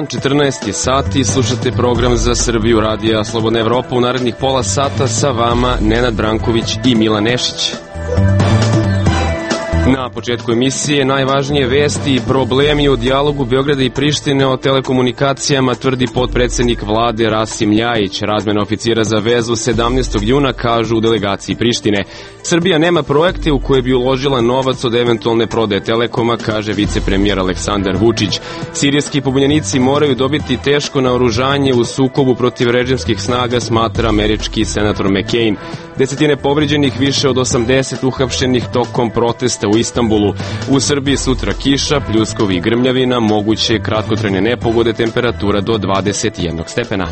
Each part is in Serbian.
dan, 14 je sati, slušate program za Srbiju radija Slobodna Evropa. U narednih pola sata sa vama Nenad Branković i Milan Nešić. Na početku emisije najvažnije vesti i problemi u dijalogu Beograda i Prištine o telekomunikacijama, tvrdi potpredsednik vlade Rasim Ljajić. Razmena oficira za vezu 17. juna, kažu u delegaciji Prištine. Srbija nema projekte u koje bi uložila novac od eventualne prodaje Telekoma, kaže vicepremijer Aleksandar Vučić. Sirijski pobunjenici moraju dobiti teško naoružanje u sukobu protiv režimskih snaga, smatra američki senator McCain. Desetine povređenih, više od 80 uhapšenih tokom protesta u Istanbulu. U Srbiji sutra kiša, pljuskovi i grmljavina, moguće kratkotrajne nepogode, temperatura do 21 stepena.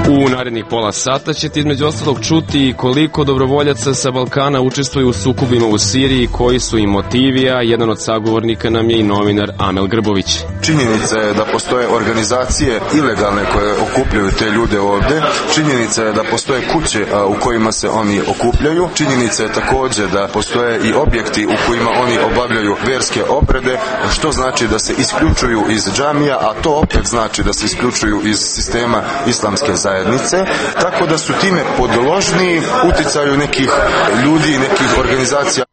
U narednih pola sata ćete između ostalog čuti koliko dobrovoljaca sa Balkana učestvuju u sukobima u Siriji, koji su im motivi, a jedan od sagovornika nam je i novinar Amel Grbović. Činjenica je da postoje organizacije ilegalne koje okupljaju te ljude ovde. Činjenica je da postoje kuće u kojima se oni okupljaju. Činjenica je također da postoje i objekti u kojima oni obavljaju verske obrede, što znači da se isključuju iz džamija, a to opet znači da se isključuju iz sistema islamske zajednice, tako da su time podložni uticaju nekih ljudi, nekih organizacija.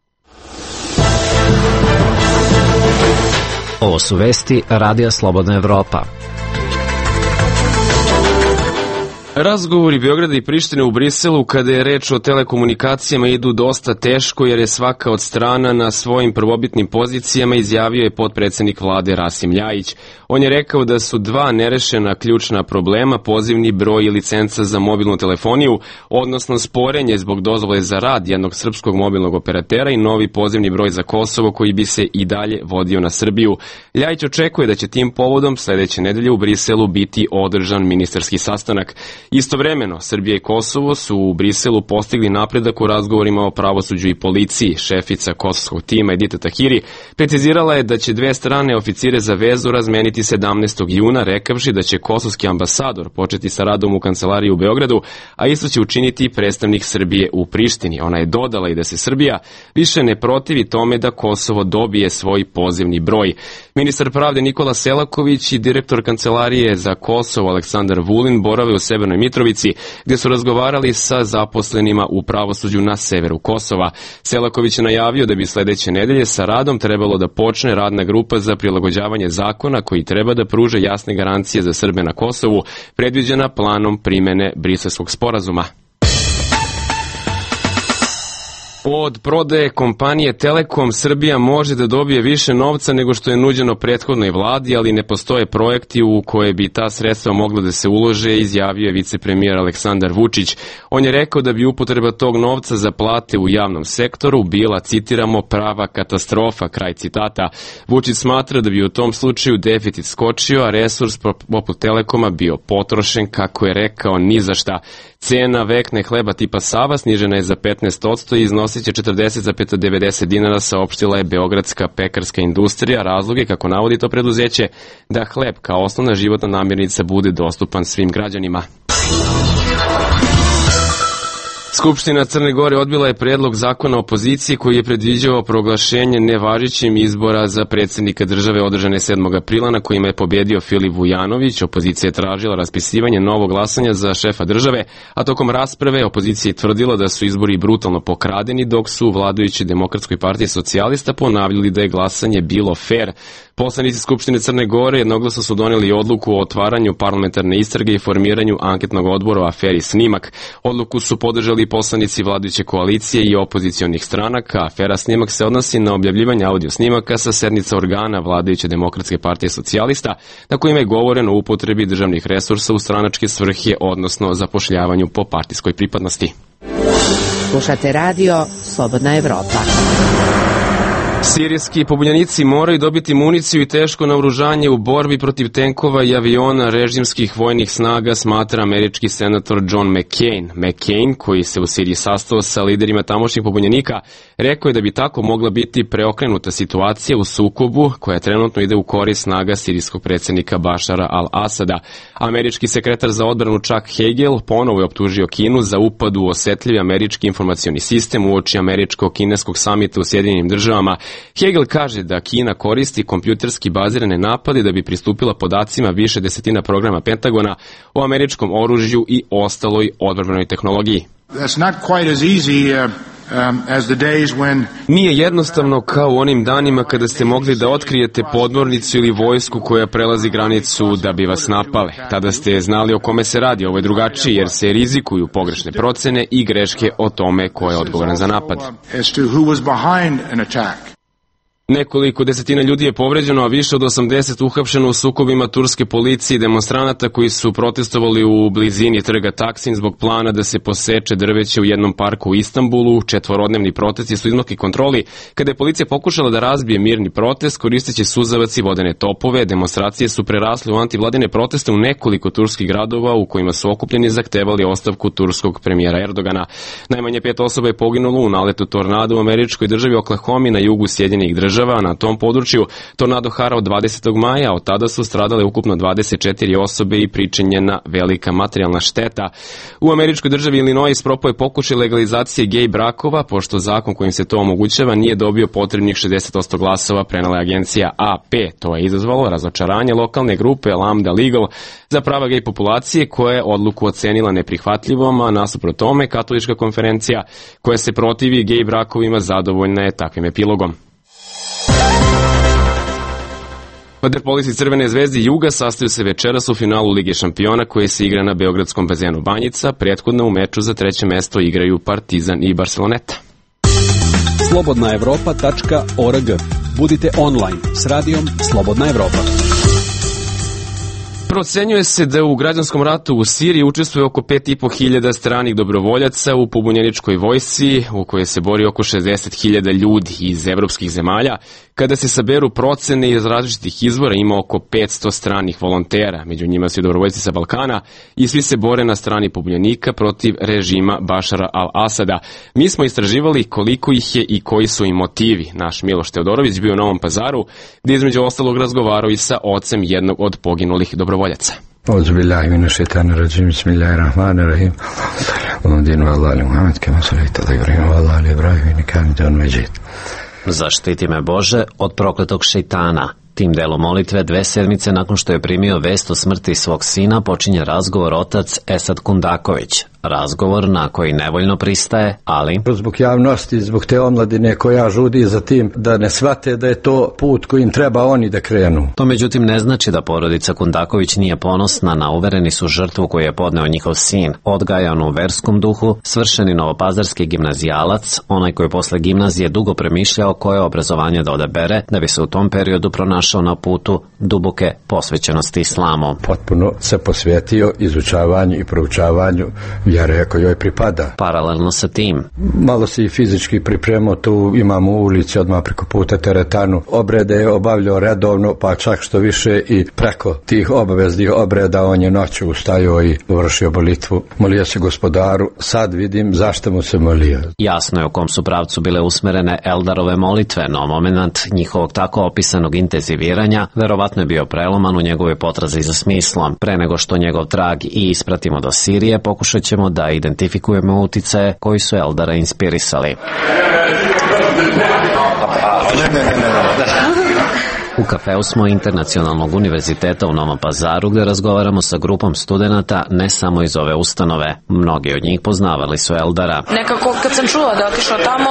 Ovo su vesti Radija Slobodna Evropa. Razgovori Beograda i Prištine u Briselu kada je reč o telekomunikacijama idu dosta teško, jer je svaka od strana na svojim prvobitnim pozicijama, izjavio je potpredsednik vlade Rasim Ljajić. On je rekao da su dva nerešena ključna problema, pozivni broj i licenca za mobilnu telefoniju, odnosno sporenje zbog dozvole za rad jednog srpskog mobilnog operatera i novi pozivni broj za Kosovo koji bi se i dalje vodio na Srbiju. Ljajić očekuje da će tim povodom sledeće nedelje u Briselu biti održan ministarski sastanak. Istovremeno, Srbija i Kosovo su u Briselu postigli napredak u razgovorima o pravosuđu i policiji. Šefica kosovskog tima Edita Tahiri precizirala je da će dve strane oficire za vezu razmeniti 17. juna, rekavši da će kosovski ambasador početi sa radom u kancelariji u Beogradu, a isto će učiniti i predstavnik Srbije u Prištini. Ona je dodala i da se Srbija više ne protivi tome da Kosovo dobije svoj pozivni broj. Ministar pravde Nikola Selaković i direktor kancelarije za Kosovo Aleksandar Vulin borave u Severnoj Mitrovici, gdje su razgovarali sa zaposlenima u pravosuđu na severu Kosova. Selaković je najavio da bi sledeće nedelje sa radom trebalo da počne radna grupa za prilagođavanje zakona koji treba da pruže jasne garancije za Srbe na Kosovu, predviđena planom primene Briselskog sporazuma. Od prodaje kompanije Telekom Srbija može da dobije više novca nego što je nuđeno prethodnoj vladi, ali ne postoje projekti u koje bi ta sredstva mogla da se ulože, izjavio je vicepremijer Aleksandar Vučić. On je rekao da bi upotreba tog novca za plate u javnom sektoru bila, citiramo, prava katastrofa, kraj citata. Vučić smatra da bi u tom slučaju deficit skočio, a resurs poput Telekoma bio potrošen, kako je rekao, ni za šta. Cena vekne hleba tipa Sava snižena je za 15% i iznosit će 40,90 dinara, saopštila je Beogradska pekarska industrija. Razlog je, kako navodi to preduzeće, da hleb kao osnovna životna namirnica bude dostupan svim građanima. Skupština Crne Gore odbila je predlog zakona opoziciji koji je predviđao proglašenje nevažećim izbora za predsjednika države održane 7. aprila na kojima je pobedio Filip Vujanović. Opozicija je tražila raspisivanje novog glasanja za šefa države, a tokom rasprave opozicija je tvrdila da su izbori brutalno pokradeni, dok su u vladajućoj Demokratskoj partiji socijalista ponavljali da je glasanje bilo fair. Poslanici Skupštine Crne Gore jednoglasno su doneli odluku o otvaranju parlamentarne istrage i formiranju anketnog odbora o aferi Snimak. Odluku su podržali poslanici vladajuće koalicije i opozicionih stranaka. Afera Snimak se odnosi na objavljivanje audio snimaka sa sednica organa vladajuće Demokratske partije socijalista, na kojima je govoreno o upotrebi državnih resursa u stranačke svrhe, odnosno zapošljavanju po partijskoj pripadnosti. Slušate radio Slobodna Evropa. Sirijski pobunjenici moraju dobiti municiju i teško naoružanje u borbi protiv tenkova i aviona režimskih vojnih snaga, smatra američki senator John McCain. McCain, koji se u Siriji sastao sa liderima tamošnjih pobunjenika, rekao je da bi tako mogla biti preokrenuta situacija u sukobu koja trenutno ide u korist snaga sirijskog predsjednika Bašara al-Asada. Američki sekretar za odbranu Chuck Hagel ponovo je optužio Kinu za upad u osetljivi američki informacioni sistem uoči američko-kineskog samita u Sjedinjenim državama. Hegel kaže da Kina koristi kompjuterski bazirane napade da bi pristupila podacima više desetina programa Pentagona o američkom oružju i ostaloj odbrambenoj tehnologiji. Nije jednostavno kao u onim danima kada ste mogli da otkrijete podmornicu ili vojsku koja prelazi granicu da bi vas napale. Tada ste znali o kome se radi, ovo je drugačije jer se rizikuju pogrešne procene i greške o tome ko je odgovoran za napad. Nekoliko desetina ljudi je povređeno, a više od 80 uhapšeno u sukobima turske policije i demonstranata koji su protestovali u blizini trga Taksim zbog plana da se poseče drveće u jednom parku u Istanbulu. Četvorodnevni protesti su izmakli kontroli. Kada je policija pokušala da razbije mirni protest, koristeći suzavac i vodene topove, demonstracije su prerasle u antivladine proteste u nekoliko turskih gradova u kojima su okupljeni zahtevali ostavku turskog premijera Erdogana. Najmanje 5 osoba je poginulo u naletu tornada u američkoj državi Oklahoma na jugu Sjedinjenih Država. Na tom području tornado harao 20. maja, od tada su stradale ukupno 24 osobe i pričinjena velika materijalna šteta. U američkoj državi Illinois propao je pokušaj legalizacije gej brakova, pošto zakon kojim se to omogućava nije dobio potrebnih 60% glasova, prenela je agencija AP. To je izazvalo razočaranje lokalne grupe Lambda Legal za prava gej populacije, koja je odluku ocenila neprihvatljivom, a nasuprot tome katolička konferencija koja se protivi gej brakovima zadovoljna je takvim epilogom. Vaterpolisti Crvene zvezde Juga sastaju se večeras u finalu Lige šampiona koji se igra na beogradskom bazenu Banjica. Prethodno u meču za 3. mesto igraju Partizan i Barceloneta. slobodnaevropa.org. Budite online s radijom Slobodna Evropa. Procenjuje se da u građanskom ratu u Siriji učestvuje oko 5.500 stranih dobrovoljaca u pobunjeničkoj vojsci u kojoj se bori oko 60.000 ljudi iz evropskih zemalja. Kada se saberu procene iz različitih izvora, ima oko 500 stranih volontera, među njima su i dobrovoljci sa Balkana i svi se bore na strani pobunjenika protiv režima Bašara al-Asada. Mi smo istraživali koliko ih je i koji su im motivi. Naš Miloš Teodorović bio u Novom Pazaru, gdje između ostalog razgovarao i sa ocem jednog od poginulih dobrovoljaca. Auzubillahi minash shaitani rajim. Bismillahirrahmanirrahim. Allahumma salli ala Muhammad kama sallaita ala Ibrahim wa ala ali Ibrahim innaka Hamidun Majid. Zaštiti me Bože od prokletog šejtana. Tim delom molitve 2 sedmice nakon što je primio vest o smrti svog sina počinje razgovor otac Esad Kundaković. Razgovor na koji nevoljno pristaje, ali zbog javnosti, zbog te omladine koja žudi za tim da ne shvate da je to put kojim treba oni da krenu. To međutim ne znači da porodica Kundaković nije ponosna na uvereni su žrtvu koju je podneo njihov sin. Odgajan u verskom duhu, svršeni novopazarski gimnazijalac, onaj koji posle gimnazije dugo premišljao koje obrazovanje da odabere, da bi se u tom periodu pronašao na putu duboke posvećenosti islamu. Potpuno se posvetio izučavanju i proučavanju vjere koja joj pripada. Paralelno sa tim, malo se i fizički pripremao, tu imamo u ulici odmah preko puta teretanu. Obrede je obavljao redovno, pa čak što više i preko tih obaveznih obreda on je noću ustajao i vršio molitvu. Molio se Gospodaru, sad vidim zašto mu se molio. Jasno je u kom su pravcu bile usmerene Eldarove molitve, no moment njihovog tako opisanog intenziviranja verovatno je bio preloman u njegove potrazi za smislom. Pre nego što njegov trag i ispratimo do Sirije, pokušat ćemo da identifikujemo uticaje koji su Eldara inspirisali. U kafeu smo Internacionalnog univerziteta u Novom Pazaru gde razgovaramo sa grupom studenata ne samo iz ove ustanove. Mnogi od njih poznavali su Eldara. Nekako kad sam čula da otišao tamo,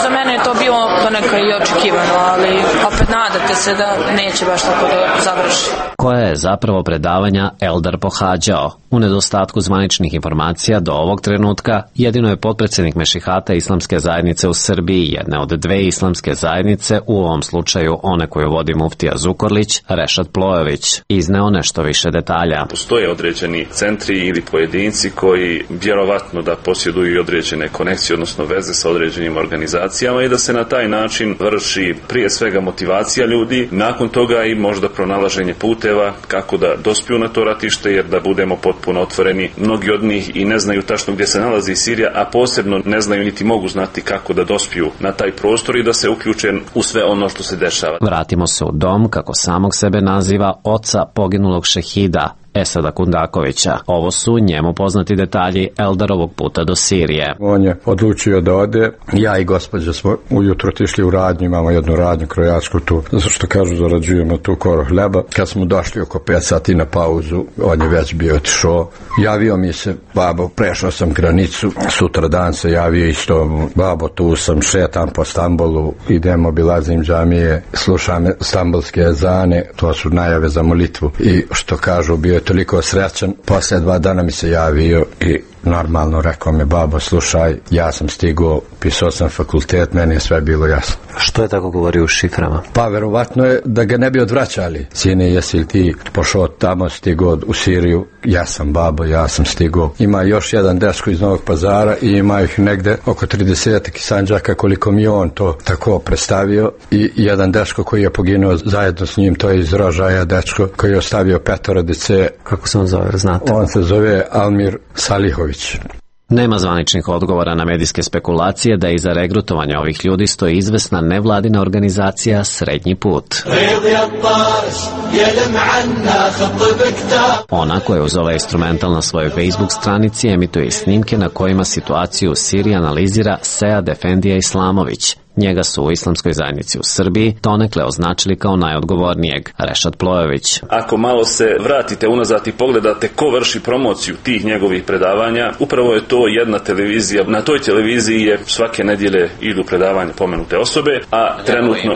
za mene je to bilo donekle i očekivano, ali opet nadate se da neće baš tako da završi. Koje je zapravo predavanja Eldar pohađao? U nedostatku zvaničnih informacija do ovog trenutka jedino je potpredsjednik Mešihata Islamske zajednice u Srbiji, jedne od 2 islamske zajednice, u ovom slučaju one koju vodi muftija Zukorlić, Rešad Plojević, izneo nešto više detalja. Postoje određeni centri ili pojedinci koji vjerovatno da posjeduju određene konekcije, odnosno veze sa određenim organizacijama i da se na taj način vrši prije svega motivacija ljudi, nakon toga i možda pronalaženje puteva kako da dospiju na to ratište, jer da budemo potpuno otvoreni, mnogi od njih i ne znaju tačno gdje se nalazi Sirija, a posebno ne znaju niti mogu znati kako da dospiju na taj prostor i da se uključe u sve ono što se dešava. Vratimo se u dom, kako samog sebe naziva, oca poginulog šehida, Esada Kundakovića. Ovo su njemu poznati detalji Eldarovog puta do Sirije. On je odlučio da ode. Ja i gospođa smo ujutro otišli u radnju, imamo jednu radnju krojačku tu, zato što kažu zarađujemo tu koro hleba. Kad smo došli oko 5 sati na pauzu, on je već bio otišao. Javio mi se, babo, prešao sam granicu, sutra dan se javio isto, babo, tu sam, šetam po Stambolu, idem, obilazim džamije, slušam stambulske ezane, to su najave za molitvu. I što kažu, bio je toliko srećan, poslije 2 dana mi se javio i normalno rekao mi, babo, slušaj, ja sam stigao, pisao sam fakultet, meni je sve bilo jasno. Što je tako govorio u šiframa? Pa verovatno je da ga ne bi odvraćali. Sine, jesi li ti pošao tamo, stigao u Siriju? Ja sam, babo, ja sam stigao. Ima još jedan dečko iz Novog Pazara i ima ih negde oko 30 Sandžaka, koliko mi on to tako predstavio, i jedan dečko koji je poginuo zajedno s njim, to je iz Rožaja dečko koji je ostavio 5 dece. Kako se on zove, znate? On se zove Almir Salihović. Nema zvaničnih odgovora na medijske spekulacije da iza regrutovanja ovih ljudi stoji izvesna nevladina organizacija Srednji put. Ona koja uz ovaj instrumental na svojoj Facebook stranici emituje snimke na kojima situaciju u Siriji analizira Sead Efendija Islamović. Njega su u islamskoj zajednici u Srbiji donekle označili kao najodgovornijeg, Rešad Plojević. Ako malo se vratite unazad i pogledate ko vrši promociju tih njegovih predavanja, upravo je to jedna televizija. Na toj televiziji je svake nedjelje idu predavanja pomenute osobe, a trenutno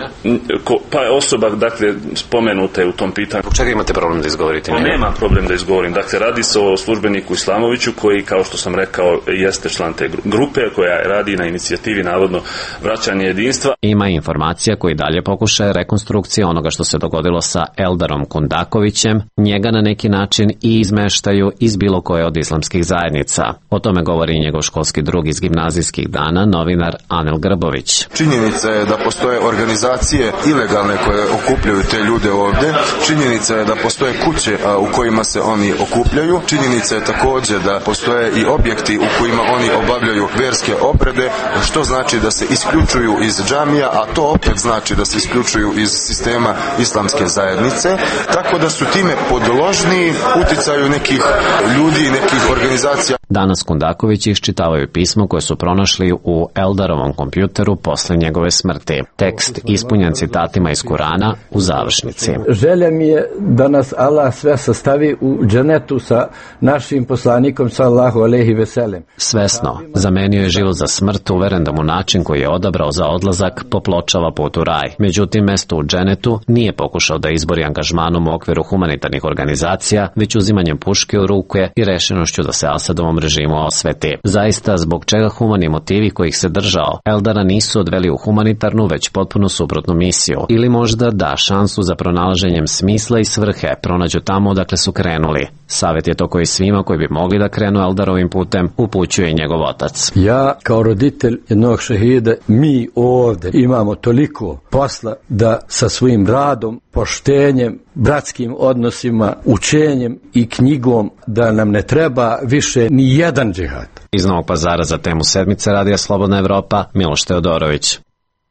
pa je osoba, dakle, spomenuta je u tom pitanju. Zbog čega imate problem da izgovorite? Nema problem da izgovorim. Dakle, radi se o službeniku Islamoviću koji, kao što sam rekao, jeste član te grupe koja radi na inicijativi navodno vraćanje jedinstva. Ima informacija koji dalje pokušaje rekonstrukcije onoga što se dogodilo sa Eldarom Kundakovićem, njega na neki način i izmeštaju iz bilo koje od islamskih zajednica. O tome govori i njegov školski drug iz gimnazijskih dana, novinar Anel Grbović. Činjenica je da postoje organizacije ilegalne koje okupljaju te ljude ovde. Činjenica je da postoje kuće u kojima se oni okupljaju. Činjenica je također da postoje i objekti u kojima oni obavljaju verske obrede, što znači da se isključuju iz džamija, a to opet znači da se isključuju iz sistema islamske zajednice, tako da su time podložni uticaju nekih ljudi i nekih organizacija. Danas Kundaković iščitavaju pismo koje su pronašli u Eldarovom kompjuteru posle njegove smrti. Tekst ispunjen citatima iz Kurana u završnici. Želja mi je da nas Allah sve sastavi u dženetu sa našim poslanikom sallallahu alejhi ve sellem. Svesno zamenio je život za smrt, uveren da mu način koji je odabrao za odlazak popločava put u raj. Međutim, mesto u dženetu nije pokušao da izbori angažmanom u okviru humanitarnih organizacija, već uzimanjem puške u ruke i rešenošću da se Asadovom režimu osveti. Zaista, zbog čega humani motivi kojih se držao Eldara nisu odveli u humanitarnu, već potpuno suprotnu misiju. Ili možda da šansu za pronalaženjem smisla i svrhe pronađu tamo odakle su krenuli. Savjet je to koji svima koji bi mogli da krenu Eldarovim putem upućuje njegov otac. Ja kao roditelj jednog šehida, mi ovdje imamo toliko posla da sa svojim radom, poštenjem, bratskim odnosima, učenjem i knjigom da nam ne treba više ni jedan džihad. Iz Novog Pazara za temu sedmice Radija Slobodna Evropa, Miloš Teodorović.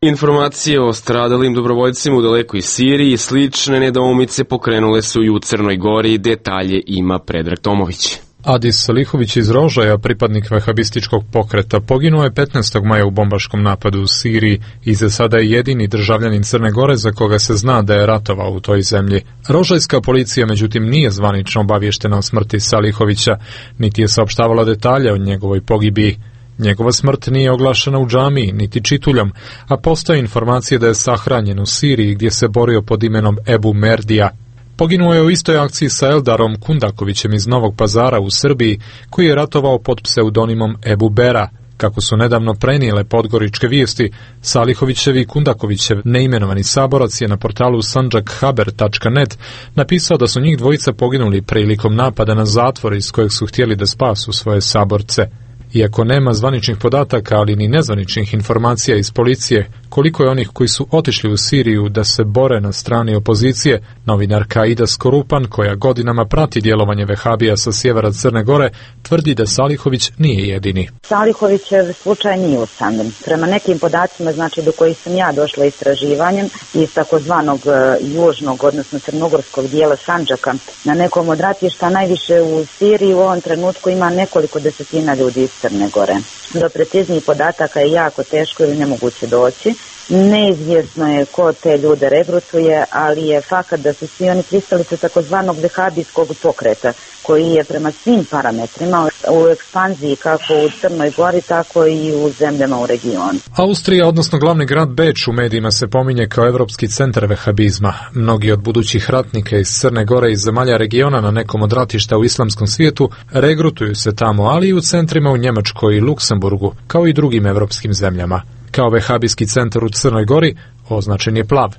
Informacije o stradalim dobrovoljcima u dalekoj Siriji i slične nedoumice pokrenule su i u Crnoj Gori. Detalje ima Predrag Tomović. Adis Salihović iz Rožaja, pripadnik vehabističkog pokreta, poginuo je 15. maja u bombaškom napadu u Siriji i za sada je jedini državljanin Crne Gore za koga se zna da je ratovao u toj zemlji. Rožajska policija međutim nije zvanično obavještena o smrti Salihovića, niti je saopštavala detalje o njegovoj pogibiji. Njegova smrt nije oglašena u džamiji, niti čituljom, a postoje informacije da je sahranjen u Siriji gdje se borio pod imenom Ebu Merdija. Poginuo je u istoj akciji sa Eldarom Kundakovićem iz Novog Pazara u Srbiji, koji je ratovao pod pseudonimom Ebu Bera. Kako su nedavno prenijele podgoričke vijesti, Salihovićev i Kundakovićev neimenovani saborac je na portalu sanjakhaber.net napisao da su njih dvojica poginuli prilikom napada na zatvor iz kojeg su htjeli da spasu svoje saborce. Iako nema zvaničnih podataka, ali ni nezvaničnih informacija iz policije koliko je onih koji su otišli u Siriju da se bore na strani opozicije, novinarka Aida Skorupan, koja godinama prati djelovanje vehabija sa sjevera Crne Gore, tvrdi da Salihović nije jedini. Salihovićev slučaj nije usamljen. Prema nekim podacima, znači do kojih sam ja došla istraživanjem iz takozvanog južnog, odnosno crnogorskog dijela Sandžaka, na nekom od ratišta najviše u Siriji u ovom trenutku ima nekoliko desetina ljudi iz Crne Gore. Do preciznijih podataka je jako teško ili nemoguće doći. Neizvjesno je ko te ljude regrutuje, ali je fakat da su svi oni pristalice takozvanog vehabijskog pokreta, koji je prema svim parametrima u ekspanziji kako u Crnoj Gori, tako i u zemljama u regionu. Austrija, odnosno glavni grad Beč, u medijima se pominje kao evropski centar vehabizma. Mnogi od budućih ratnika iz Crne Gore i zemalja regiona na nekom od ratišta u islamskom svijetu regrutuju se tamo, ali i u centrima u Njemačkoj i Luksemburgu, kao i drugim evropskim zemljama. Kao vehabijski centar u Crnoj Gori označen je plav.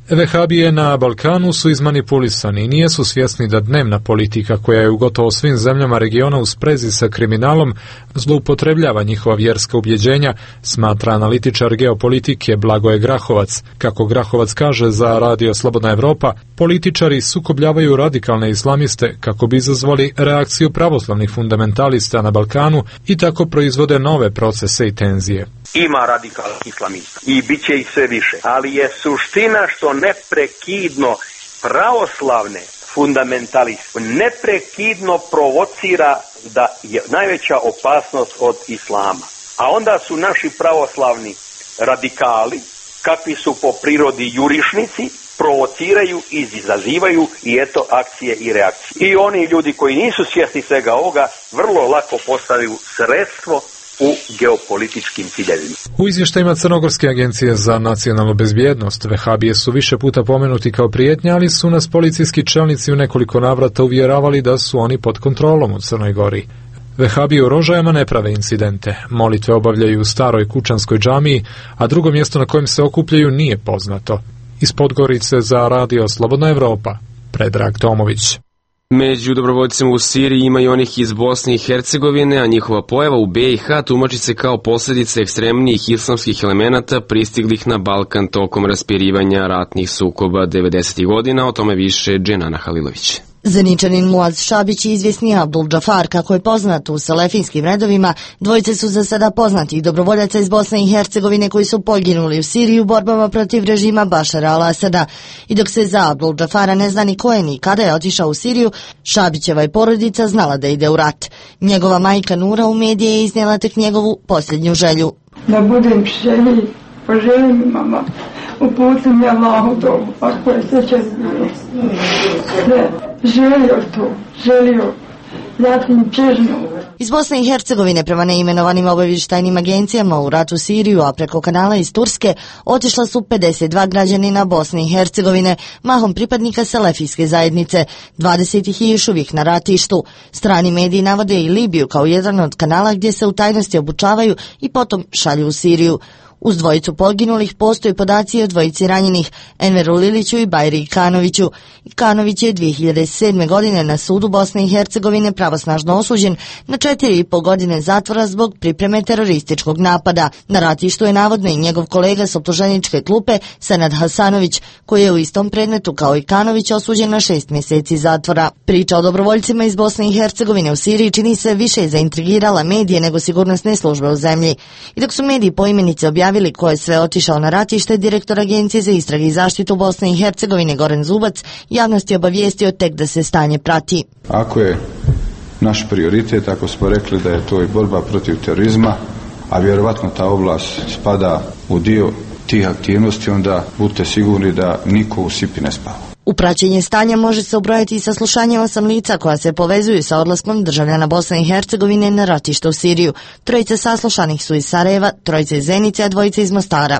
Vehabije na Balkanu su izmanipulisani i nijesu svjesni da dnevna politika, koja je u gotovo svim zemljama regiona u sprezi sa kriminalom, zloupotrebljava njihova vjerska ubjeđenja, smatra analitičar geopolitike Blagoje Grahovac. Kako Grahovac kaže za Radio Slobodna Evropa, političari sukobljavaju radikalne islamiste kako bi izazvali reakciju pravoslavnih fundamentalista na Balkanu i tako proizvode nove procese i tenzije. Ima radikalnih islamista i bit će ih sve više, ali je suština što neprekidno pravoslavne fundamentaliste neprekidno provocira da je najveća opasnost od islama. A onda su naši pravoslavni radikali, kakvi su po prirodi jurišnici, provociraju i izazivaju i eto akcije i reakcije. I oni ljudi koji nisu svjesni svega ovoga vrlo lako postaju sredstvo u geopolitičkim ciljevima. U izvještajima Crnogorske agencije za nacionalnu bezbjednost vehabije su više puta pomenuti kao prijetnja, ali su nas policijski čelnici u nekoliko navrata uvjeravali da su oni pod kontrolom u Crnoj Gori. Vehabije u Rožajama ne prave incidente, molitve obavljaju u staroj kučanskoj džamiji, a drugo mjesto na kojem se okupljaju nije poznato. Iz Podgorice za Radio Slobodna Evropa, Predrag Tomović. Među dobrovoljcima u Siriji ima i onih iz Bosne i Hercegovine, a njihova pojava u BiH tumači se kao posljedica ekstremnijih islamskih elemenata pristiglih na Balkan tokom raspirivanja ratnih sukoba 90. godina, o tome više Dženana Halilović. Zeničanin Muaz Šabić i izvjesni Abdul Džafar, kako je poznat u selefinskim redovima, dvojice su za sada poznatih dobrovoljaca iz Bosne i Hercegovine koji su poginuli u Siriji u borbama protiv režima Bašara al-Asada. I dok se za Abdul Džafara ne zna ni ko je ni kada je otišao u Siriju, Šabićeva je porodica znala da ide u rat. Njegova majka Nura u medije je iznijela tek njegovu posljednju želju. Da budem želji, poželim mama, uputim je Allahu to, ako je sreća bilo. Želio, zatim čežno. Iz Bosne i Hercegovine prema neimenovanim obavještajnim agencijama u rat u Siriju, a preko kanala iz Turske, otišla su 52 građanina Bosne i Hercegovine, mahom pripadnika selefijske zajednice, 20 ih je još uvijek na ratištu. Strani mediji navode i Libiju kao jedan od kanala gdje se u tajnosti obučavaju i potom šalju u Siriju. Uz dvojicu poginulih postoji podaci o dvojici ranjenih, Enveru Liliću i Bajri Ikanoviću. Ikanović je 2007. godine na sudu Bosne i Hercegovine pravosnažno osuđen na 4,5 godine zatvora zbog pripreme terorističkog napada. Na ratištu je navodno i njegov kolega s optuženičke klupe Senad Hasanović, koji je u istom predmetu kao Ikanović osuđen na 6 mjeseci zatvora. Priča o dobrovoljcima iz Bosne i Hercegovine u Siriji čini se više zaintrigirala medije nego sigurnosne službe u zemlji. I dok su mediji poimenice objavili ko je sve otišao na ratište, direktor Agencije za istrage i zaštitu Bosne i Hercegovine Goran Zubac javnost je obavijestio tek da se stanje prati. Ako je naš prioritet, ako smo rekli da je to i borba protiv terorizma, a vjerovatno ta oblast spada u dio tih aktivnosti, onda budite sigurni da niko u Sipi ne spava. U praćenje stanja može se ubrojati i saslušanje 8 lica koja se povezuju sa odlaskom državljana Bosne i Hercegovine na ratište u Siriju. Trojice saslušanih su iz Sarajeva, trojice iz Zenice, a dvojice iz Mostara.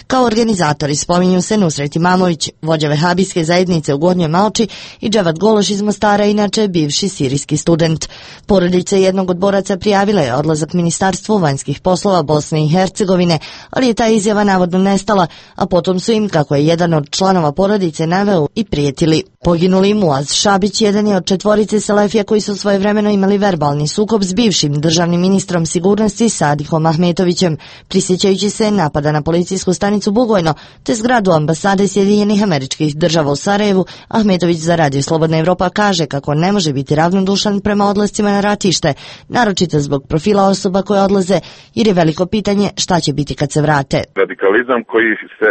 Kao organizatori spominju se Nusret Imamović, vođa vehabijske zajednice u Gornjoj Malči, i Dževat Gološ iz Mostara, inače bivši sirijski student. Porodica jednog od boraca prijavila je odlazak Ministarstvu vanjskih poslova Bosne i Hercegovine, ali je ta izjava navodno nestala, a potom su im, kako je jedan od članova porodice naveo, i prijetili. Poginuli Muaz Šabić jedan je od 4 selefija koji su svojevremeno imali verbalni sukob s bivšim državnim ministrom sigurnosti Sadihom Ahmetovićem, prisjećajući se napada na policijsku stanicu Bugojno te zgradu ambasade Sjedinjenih Američkih Država u Sarajevu. Ahmetović za Radio Slobodna Evropa kaže kako ne može biti ravnodušan prema odlascima na ratište, naročito zbog profila osoba koje odlaze, jer je veliko pitanje šta će biti kad se vrate. Radikalizam koji se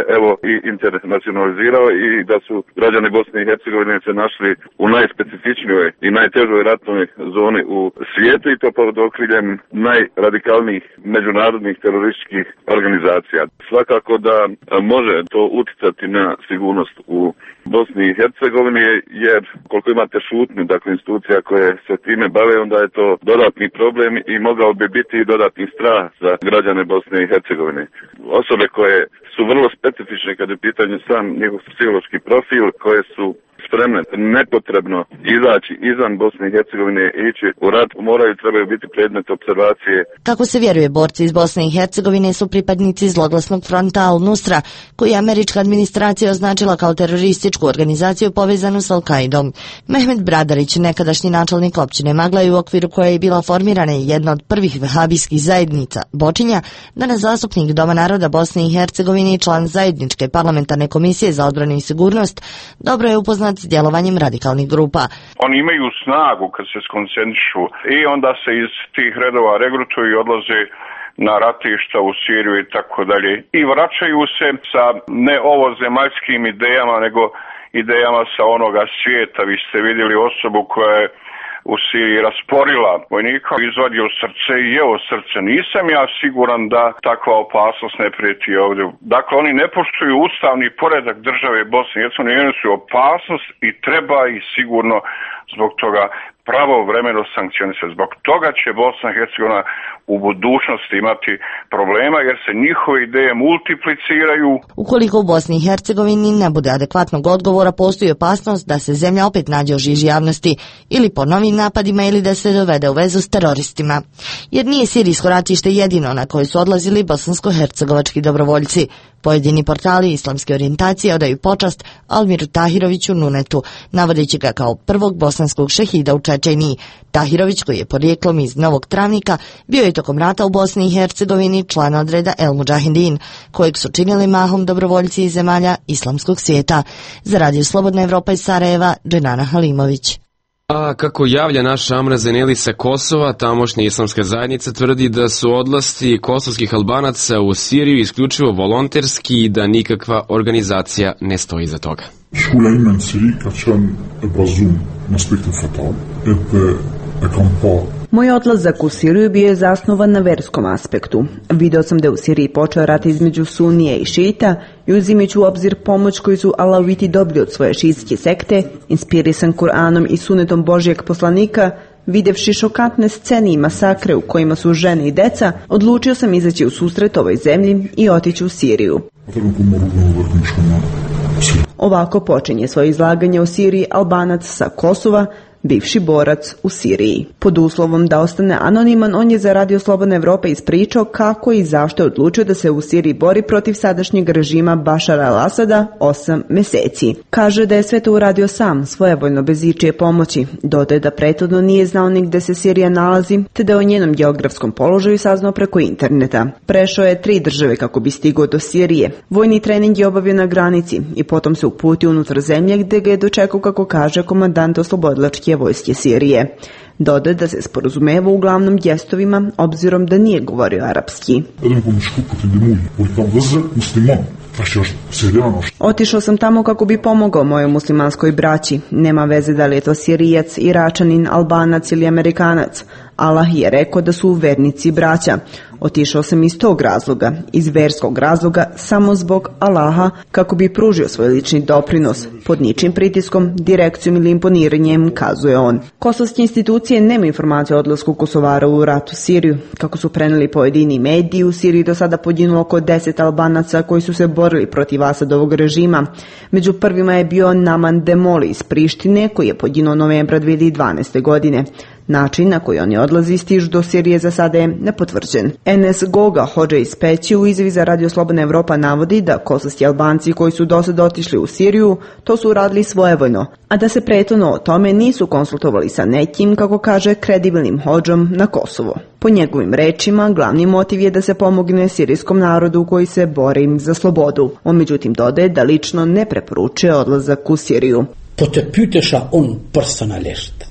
i internacionalizirao i da su građani Bosne i Hercegovine se našli u najspecifičnijoj i najtežoj ratnoj zoni u svijetu i to pod okriljem najradikalnijih međunarodnih terorističkih organizacija. Svakako da može to uticati na sigurnost u Bosni i Hercegovini, jer koliko imate šutnju, dakle institucija koje se time bave, onda je to dodatni problem i mogao bi biti i dodatni strah za građane Bosne i Hercegovine. Osobe koje su vrlo specifične kad je pitanje sam njihov psihološki profil, koje su spremne nepotrebno izaći izvan Bosne i Hercegovine i ići u rat, trebaju biti predmet observacije. Kako se vjeruje, borci iz Bosne i Hercegovine su pripadnici zloglasnog fronta Al-Nusra, koji je američka administracija označila kao terorističku organizaciju povezanu s Al-Qaidom. Mehmet Bradarić, nekadašnji načelnik općine Maglaj, u okviru koje je bila formirana jedna od prvih vehabijskih zajednica, Bočinja, danas zastupnik Doma naroda Bosne i Hercegovine i član zajedničke parlamentarne komisije za odbranu i sigurnost, dobro je upoznat s djelovanjem radikalnih grupa. Oni imaju snagu kad se skoncentrišu i onda se iz tih redova regrutuju i odlaze na ratišta u Siriju i tako dalje. I vraćaju se sa ne ovozemaljskim idejama, nego idejama sa onoga svijeta. Vi ste vidjeli osobu koja je u Siriji rasporila vojnika, izvadio srce i jeo srce. Nisam ja siguran da takva opasnost ne prijeti ovdje. Dakle, oni ne poštuju ustavni poredak države Bosne i Hercegovine, oni su opasnost i treba ih sigurno zbog toga pravovremeno sankcionisati. Zbog toga će Bosna i Hercegovina u budućnosti imati problema jer se njihove ideje multipliciraju. Ukoliko u Bosni i Hercegovini ne bude adekvatnog odgovora, postoji opasnost da se zemlja opet nađe u žiži javnosti ili po novim napadima ili da se dovede u vezu s teroristima. Jer nije sirijsko ratište jedino na koje su odlazili bosansko-hercegovački dobrovoljci. Pojedini portali islamske orijentacije odaju počast Almiru Tahiroviću Nunetu, navodeći ga kao prvog bosanskog šehida u Čečeniji. Tahirović, koji je porijeklom iz Novog Travnika, bio je tokom rata u Bosni i Hercegovini član odreda El Mudžahidin, kojeg su činili mahom dobrovoljci iz zemalja islamskog svijeta. Za Radio Slobodna Evropa iz Sarajeva, Dženana Halimović. A kako javlja naša Amra Zeneli sa Kosova, tamošnja islamska zajednica tvrdi da su odlasci kosovskih Albanaca u Siriju isključivo volonterski i da nikakva organizacija ne stoji za toga. Moj odlazak u Siriju bio je zasnovan na verskom aspektu. Video sam da je u Siriji počeo rat između Sunije i Šita i uzimajući u obzir pomoć koju su Alaviti dobili od svoje šiitske sekte, inspirisan Kur'anom i sunetom Božijeg poslanika, videvši šokantne scene i masakre u kojima su žene i deca, odlučio sam izaći u susret ovoj zemlji i otići u Siriju. Ovako počinje svoje izlaganje o Siriji Albanac sa Kosova, bivši borac u Siriji. Pod uslovom da ostane anoniman, on je za Radio Slobodna Evropa ispričao kako i zašto je odlučio da se u Siriji bori protiv sadašnjeg režima Bašara al-Asada 8 mjeseci. Kaže da je sve to uradio sam, svojevoljno bez ičije pomoći. Dodaje da prethodno nije znao ni gde se Sirija nalazi, te da je o njenom geografskom položaju saznao preko interneta. Prešao je 3 države kako bi stigao do Sirije. Vojni trening je obavio na granici i potom se uputio unutar zemlje gde ga je dočekao, kako kaže, komandant oslobodilačke vojske Sirije. Dodaje da se sporazumeva uglavnom gestovima, obzirom da nije govorio arapski. Otišao sam tamo kako bi pomogao mojoj muslimanskoj braći. Nema veze da li je to Sirijac, Iračanin, Albanac ili Amerikanac. Allah je rekao da su vernici braća. Otišao sam iz tog razloga, iz verskog razloga, samo zbog Allaha, kako bi pružio svoj lični doprinos. Pod ničim pritiskom, direkcijom ili imponiranjem, kazuje on. Kosovske institucije nema informacije o odlasku Kosovara u rat u Siriju. Kako su preneli pojedini mediji, u Siriji do sada poginulo oko 10 Albanaca koji su se borili protiv Asadovog režima. Među prvima je bio Naman Demoli iz Prištine, koji je poginuo novembra 2012. godine. Način na koji oni odlazi stižu do Sirije za sada je nepotvrđen. Enes Goga, hodža iz Peći, u izjavi za Radio Slobodna Evropa navodi da kosovski Albanci koji su do sada otišli u Siriju, to su uradili svojevoljno, a da se prethodno o tome nisu konsultovali sa nekim, kako kaže, kredibilnim hodžom na Kosovo. Po njegovim rečima, glavni motiv je da se pomogne sirijskom narodu koji se bori za slobodu. On međutim dodaje da lično ne preporučuje odlazak u Siriju. Po të pyetesha unë personalisht,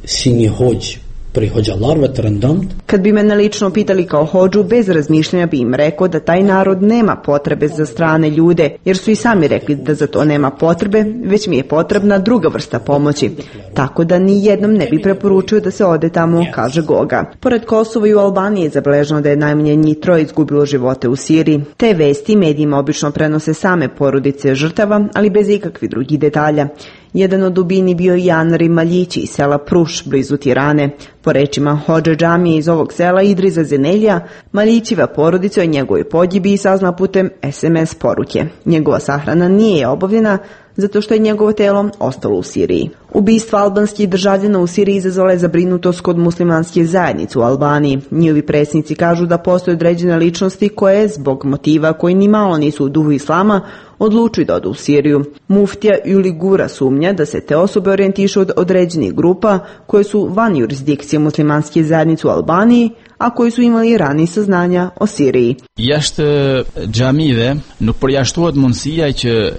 si një hoxh për hoxhallarëve të rëndëmt. Kad bi mene lično pitali kao hodžu, bez razmišljanja bi im rekao da taj narod nema potrebe za strane ljude, jer su i sami rekli da za to nema potrebe, već mi je potrebna druga vrsta pomoći. Tako da ni jednom ne bi preporučio da se ode tamo, kaže Goga. Pored Kosova i u Albaniji je zabeleženo da je najmanje njih 3 izgubilo živote u Siriji. Te vesti medijima obično prenose same porodice žrtava, ali bez ikakvih drugih detalja. Jedan od ubijeni bio i Janari Maljići iz sela Pruš, blizu Tirane. Po rečima hodže džamije iz ovog sela Idriza Zenelja, Maljićiva porodica o njegovoj pogibiji sazna putem SMS poruke. Njegova sahrana nije obavljena zato što je njegovo telo ostalo u Siriji. Ubistvo albanskih državljana u Siriji izazvala je zabrinutost kod muslimanske zajednice u Albaniji. Njihovi predsjednici kažu da postoje određene ličnosti koje, zbog motiva koji ni malo nisu u duhu islama, odlučuju da odu u Siriju. Muftija Juli Gura sumnja da se te osobe orijentišu od određenih grupa koje su van jurisdikcije muslimanske zajednice u Albaniji, a koji su imali ranije saznanja o Siriji.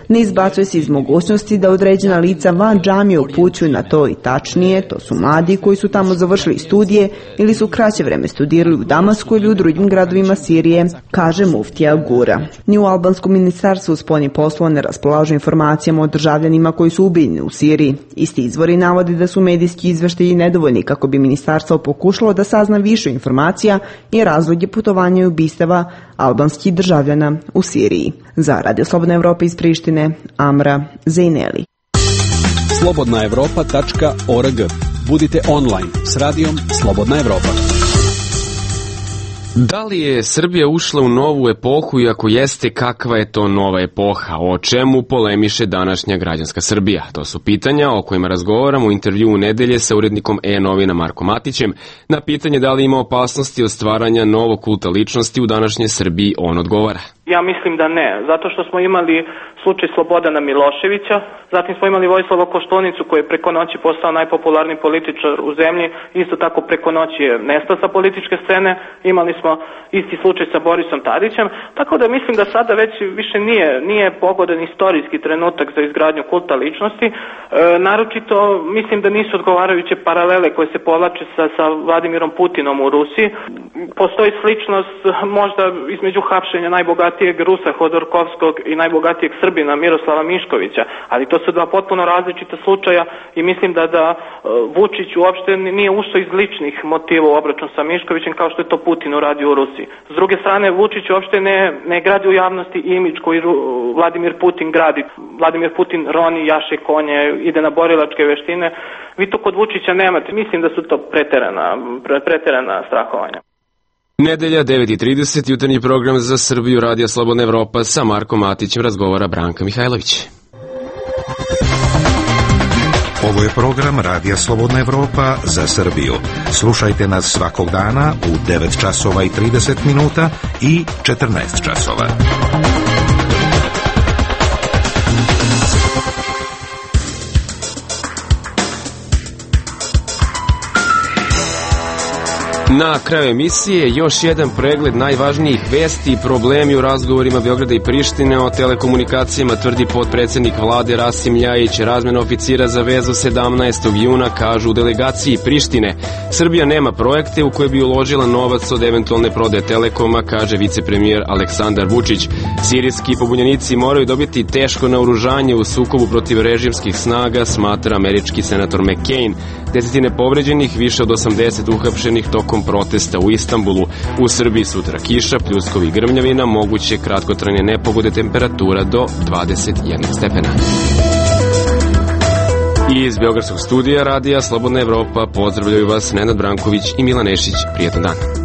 Ne izbacuje se iz mogućnosti da određena lica van džamije upućuju na to i tačnije, to su mladi koji su tamo završili studije ili su kraće vreme studirali u Damasku ili u drugim gradovima Sirije, kaže muftija Gura. Ni u albanskom ministarstvu spoljnih poslova ne raspolažu informacijama o državljanima koji su ubijeni u Siriji. Isti izvori navodi da su medijski izveštaji nedovoljni kako bi ministarstvo pokušalo da sazna više informacija i razloge putovanja i ubistava albanskih državljana u Siriji. Za Radio Slobodna Evropa iz Prištine, Amra Zejneli. slobodnaevropa.org. Budite online s radijom Slobodna Evropa. Da li je Srbija ušla u novu epohu i ako jeste, kakva je to nova epoha? O čemu polemiše današnja građanska Srbija? To su pitanja o kojima razgovaramo u intervjuu u nedelje sa urednikom E-novina Markom Matićem. Na pitanje da li ima opasnosti od stvaranja novog kulta ličnosti u današnjoj Srbiji, on odgovara. Ja mislim da ne, zato što smo imali slučaj Slobodana Miloševića, zatim smo imali Vojislava Koštunicu koji je preko noći postao najpopularniji političar u zemlji, isto tako preko noći je nestao sa političke scene, imali smo isti slučaj sa Borisom Tadićem, tako da mislim da sada već više nije pogodan istorijski trenutak za izgradnju kulta ličnosti, naročito mislim da nisu odgovarajuće paralele koje se povlače sa Vladimirom Putinom u Rusiji. Postoji sličnost možda između hapšenja najbogatijeg Rusa Hodorkovskog i najbogatijeg Srbina Miroslava Miškovića, ali to su dva potpuno različita slučaja i mislim da Vučić uopšte nije ušao iz ličnih motiva u obračun sa Miškovićem kao što je to Putin uradio u Rusiji. S druge strane, Vučić uopšte ne gradi u javnosti imidž koji Vladimir Putin gradi. Vladimir Putin roni, jaše konje, ide na borilačke veštine. Vi to kod Vučića nemate. Mislim da su to preterana strahovanja. Nedelja, 9:30, jutarnji program za Srbiju, Radio Slobodna Evropa, sa Markom Matićem razgovara Branka Mihajlović. Ovo je program Radija Slobodna Evropa za Srbiju. Slušajte nas svakog dana u 9 časova i 30 minuta i 14 časova. Na kraju emisije još jedan pregled najvažnijih vesti i problemi u razgovorima Beograda i Prištine o telekomunikacijama, tvrdi potpredsjednik vlade Rasim Ljajić. Razmena oficira za vezu 17. juna, kažu u delegaciji Prištine. Srbija nema projekte u koje bi uložila novac od eventualne prodaje Telekoma, kaže vicepremijer Aleksandar Vučić. Sirijski pobunjenici moraju dobiti teško naoružanje u sukobu protiv režimskih snaga, smatra američki senator McCain. Desetine povređenih, više od 80 uhapšenih tokom protesta u Istanbulu. U Srbiji sutra kiša, pljuskovi i grmljavina, moguće kratkotrajne nepogode, temperatura do 21 stepena. I iz Beogradskog studija Radija Slobodna Evropa pozdravljaju vas Nenad Branković i Milan Nešić. Prijetan dan.